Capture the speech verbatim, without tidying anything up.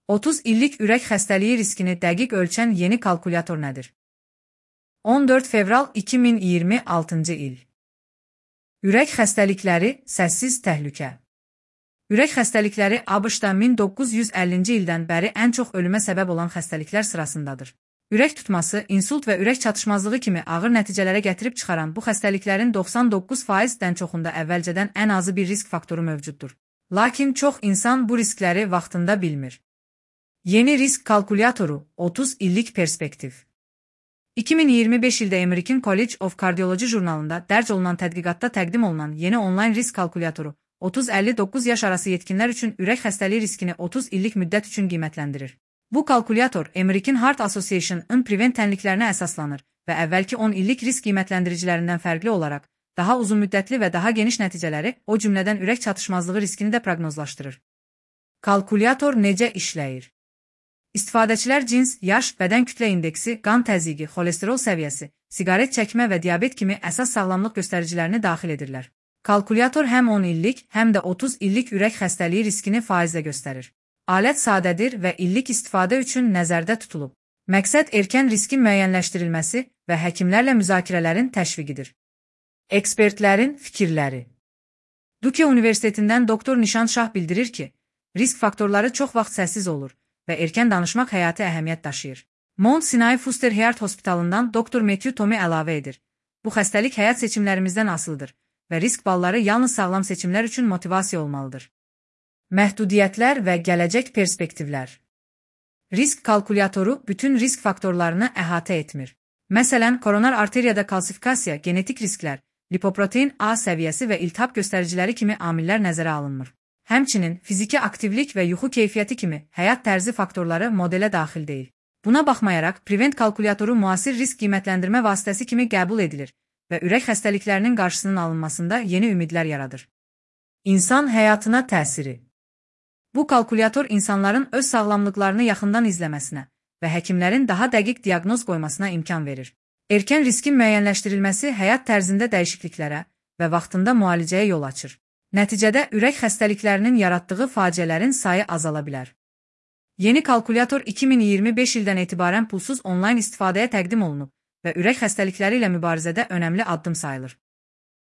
otuz illik ürək xəstəliyi riskini dəqiq ölçən yeni kalkulyator nədir? on dörd fevral iki min iyirmi altıncı il. Ürək xəstəlikləri, səssiz təhlükə. Ürək xəstəlikləri ABŞ-da min doqquz yüz əllinci ildən bəri ən çox ölümə səbəb olan xəstəliklər sırasındadır. Ürək tutması, insult və ürək çatışmazlığı kimi ağır nəticələrə gətirib çıxaran bu xəstəliklərin doxsan doqquz faizdən çoxunda əvvəlcədən ən azı bir risk faktoru mövcuddur. Lakin çox insan bu riskləri vaxtında bilmir. Yeni risk kalkulyatoru, otuz illik perspektiv. iki min iyirmi beş ildə American College of Cardiology jurnalında dərc olunan tədqiqatda təqdim olunan yeni onlayn risk kalkulyatoru, otuz əlli doqquz yaş arası yetkinlər üçün ürək xəstəliyi riskini otuz illik müddət üçün qiymətləndirir. Bu kalkulyator American Heart Association-ın prevent tənliklərinə əsaslanır və əvvəlki on illik risk qiymətləndiricilərindən fərqli olaraq daha uzun müddətli və daha geniş nəticələri, o cümlədən ürək çatışmazlığı riskini də proqnozlaşdırır. Kalkulyator necə işləyir? İstifadəçilər cins, yaş, bədən kütlə indeksi, qan təzyiqi, xolesterol səviyyəsi, siqaret çəkmə və diabet kimi əsas sağlamlıq göstəricilərini daxil edirlər. Kalkulyator həm on illik, həm də otuz illik ürək xəstəliyi riskini faizlə göstərir. Alət sadədir və illik istifadə üçün nəzərdə tutulub. Məqsəd erkən riskin müəyyənləşdirilməsi və həkimlərlə müzakirələrin təşviqidir. Ekspertlərin fikirləri. Duke Universitetindən doktor Nişan Şah bildirir ki, risk faktorları çox vaxt səssiz olur və erkən danışmaq həyati əhəmiyyət daşıyır. Mount Sinai Fuster Heart Hospitalından doktor Matthew Tomey əlavə edir. Bu xəstəlik həyat seçimlərimizdən asılıdır və risk balları yalnız sağlam seçimlər üçün motivasiya olmalıdır. Məhdudiyyətlər və gələcək perspektivlər. Risk kalkulyatoru bütün risk faktorlarını əhatə etmir. Məsələn, koronar arteriyada kalsifikasiya, genetik risklər, lipoprotein A səviyyəsi və iltihab göstəriciləri kimi amillər nəzərə alınmır. Həmçinin, fiziki aktivlik və yuxu keyfiyyəti kimi həyat tərzi faktorları modelə daxil deyil. Buna baxmayaraq, prevent kalkulyatoru müasir risk qiymətləndirmə vasitəsi kimi qəbul edilir və ürək xəstəliklərinin qarşısının alınmasında yeni ümidlər yaradır. İnsan həyatına təsiri. Bu kalkulyator insanların öz sağlamlıqlarını yaxından izləməsinə və həkimlərin daha dəqiq diaqnoz qoymasına imkan verir. Erkən riskin müəyyənləşdirilməsi həyat tərzində dəyişikliklərə və vaxtında müalicəyə yol açır. Nəticədə ürək xəstəliklərinin yaratdığı faciələrin sayı azala bilər. Yeni kalkulyator iki min iyirmi beş ildən etibarən pulsuz onlayn istifadəyə təqdim olunub və ürək xəstəlikləri ilə mübarizədə önəmli addım sayılır.